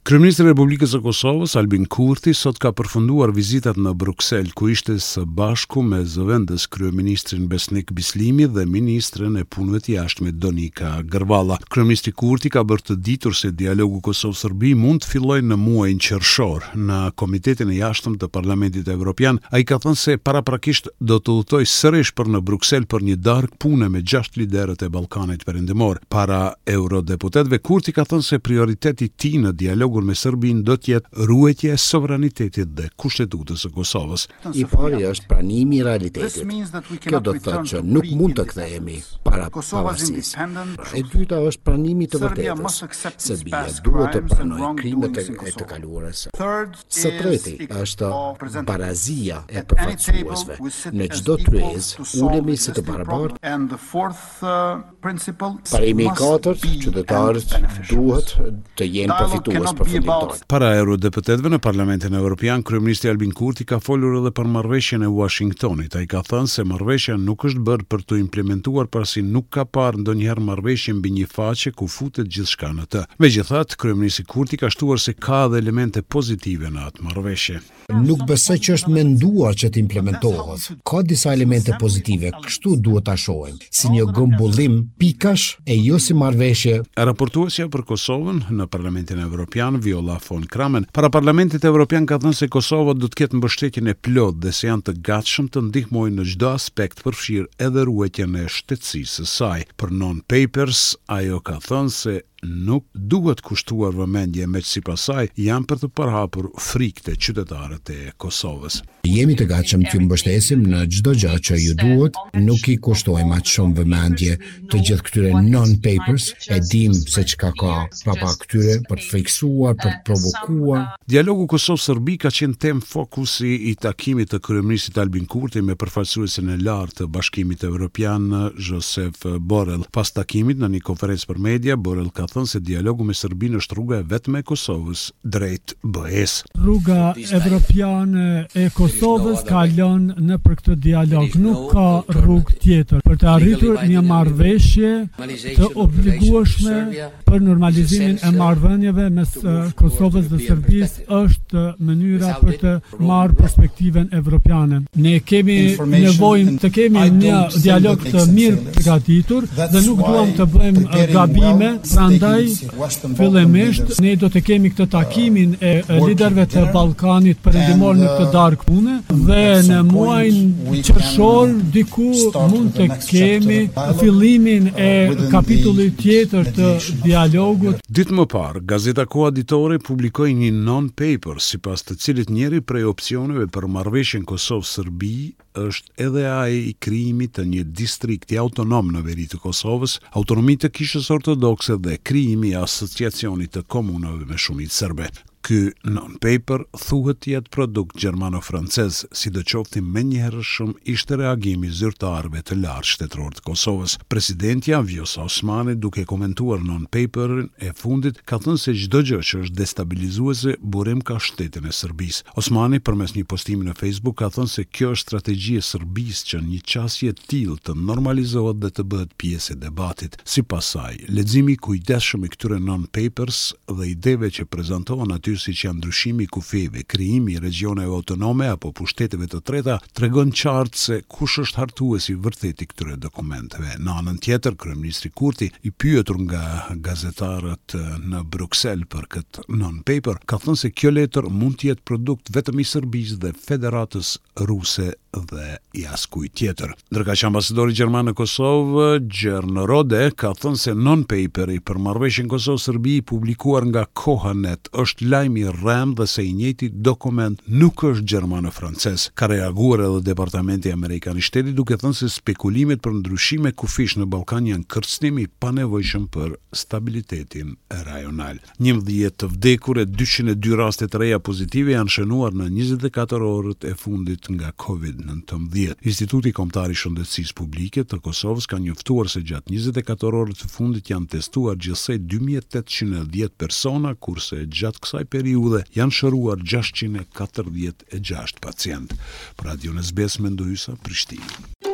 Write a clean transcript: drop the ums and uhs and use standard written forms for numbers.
Kryeministri i Republikës së Kosovës, Albin Kurti, sot ka përfunduar vizitat në Bruksel, ku ishte së bashku me zëvendës kryeministrin Besnik Bislimi dhe ministren e Punëve të Jashtme Donika Gërvalla. Kryeministri Kurti ka bërë të ditur se dialogu Kosovë-Serbi mund të fillojë në muajin qershor. Në Komitetin e Jashtëm të Parlamentit Evropian, ai ka thënë se paraprakisht do të udhëtojë sërish për në Bruksel për një darkë pune me gjashtë liderët e Ballkanit Perëndimor. Para eurodeputetëve, Kurti ka thënë se prioritet i tij në dialogun me Serbinë do të jetë ruajtja e sovranitetit dhe Kushtetutës së Kosovës. I pari është pranimi i realitetit. Kjo do të thotë që nuk mund të kthehemi para pavarësisë. E dyta është pranimi i të vërtetës. Serbia duhet të pranojë krimet e të kaluarës. Së treti është barazia e përfaqësuesve. Në çdo tryezë ulemi si të barabartë. Parimi i katërt, qytetarët duhet të jenë përfitues përfundimtarë. Para eurodeputetëve në Parlamentin Evropian, kryeministri Albin Kurti ka folur edhe për marrëveshjen e Uashingtonit. Ai ka thënë se marrëveshja nuk është bërë për t'u implementuar pasi nuk ka parë ndonjëherë marrëveshje mbi një faqe ku futet gjithçka në të. Megjithatë, kryeministri Kurti ka shtuar se ka edhe elemente pozitive në atë marrëveshje. Nuk besoj që është menduar që të implementohet. Ka disa elemente pozitive, kështu duhet ta shohim, si një grumbullim pikash e jo si marrëveshje. Raportuesja për Kosovën në Parlamentin Evropian, Viola von Cramon, para Parlamentit Evropian ka thënë se Kosova do të ketë mbështetjen e plotë dhe se janë të gatshëm të ndihmojnë në çdo aspekt përfshirë edhe ruajtjen e shtetësisë së saj. Për non-papers, ajo ka thënë se nuk duhet kushtuar vëmendje meqë sipas saj janë për të përhapur frikë te qytetarët e Kosovës. Jemi të gatshëm t'ju mbështesim në çdo gjë që ju duhet, nuk i kushtojmë aq shumë vëmendje të gjithë këtyre non-papers, e dimë se çka ka prapa këtyre për të frikësuar, për të provokuar. Dialogu Kosovë-Serbi ka qenë temë fokusi i takimit të kryeministrit Albin Kurti me përfaqësuesin e lartë të Bashkimit Evropian, Josep Borrell. Pas takimit, në një konferencë për media, Borrell ka thënë se dialogu me Serbinë është rruga e vetme e Kosovës drejt BE-së. Rruga evropiane e Kosovës kalon nëpër këtë dialog, nuk ka rrugë tjetër për të arritur një marrëveshje të obligueshme për normalizimin e marrëdhënieve mes Kosovës dhe Serbisë është mënyra për të marrë perspektivën evropiane. Ne kemi nevojë të kemi një dialog të mirë përgatitur dhe nuk duam të bëjmë gabime, prandaj fillimisht ne do të kemi këtë takimin e liderëve të Ballkanit Perëndimor në këtë darkë pune dhe në muajin qershor diku mund të kemi fillimin e kapitullit tjetër të dialogut. Ditë më parë, gazeta Koha Ditore publikoi një non-paper, sipas të cilit njëri prej opsioneve për marrëveshjen Kosovë-Serbi është edhe ai i krijimit të një distrikti autonom në veri të Kosovës, autonomi të Kishës Ortodokse dhe krijimi i Asociacionit të Komunave me shumicë serbe. Ky non-paper thuhet të jetë produkt gjermano-francez, sidoqoftë i menjëhershëm ishte reagimi i zyrtarëve të lartë shtetërorë të Kosovës. Presidentja, Vjosa Osmani, duke komentuar non-paperin e fundit, ka thënë se çdo gjë që është destabilizuese burim ka shtetin e Serbisë. Osmani, përmes një postimi në Facebook, ka thënë se kjo është strategji e Serbisë që një qasje e tillë të normalizohet dhe të bëhet pjesë e debatit. Sipas saj, leximi i kujdesshëm i këtyre non-papers dhe ideve që prezantohen aty siç janë ndryshimi i kufijve, krijimi i regjioneve autonome apo pushteteve të treta, tregon qartë se kush është hartuesi i vërtetë i këtyre dokumenteve. Në anën tjetër, kryeministri Kurti, i pyetur nga gazetarët në Bruksel për këtë non-paper, ka thënë se kjo letër mund të jetë produkt vetëm i Serbisë dhe Federatës Ruse dhe i askujt tjetër. Ndërkaq ambasadori gjerman në Kosovë, Jörn Rohde, ka thënë se non-paperi për marrëveshjen Kosovë-Serbi i publikuar nga Koha.net është lajm i rremë dhe se i njëjti dokument nuk është gjermano-francez. Ka reaguar edhe Departamenti Amerikan i Shtetit duke thënë se spekulimet për ndryshime kufijsh në Ballkan janë kërcënim i panevojshëm për stabilitetin rajonal. 11 të vdekur e 202 raste të reja pozitive janë shënuar në 24 orët e fundit nga Covid-19. Instituti Kombëtar i Shëndetësisë Publike të Kosovës ka njoftuar se gjatë 24 orëve të fundit janë testuar gjithsej 2810 persona, kurse gjatë kësaj periudhe janë shëruar 646 pacientë. Për Radion SBS Mendu Hysa, Prishtinë.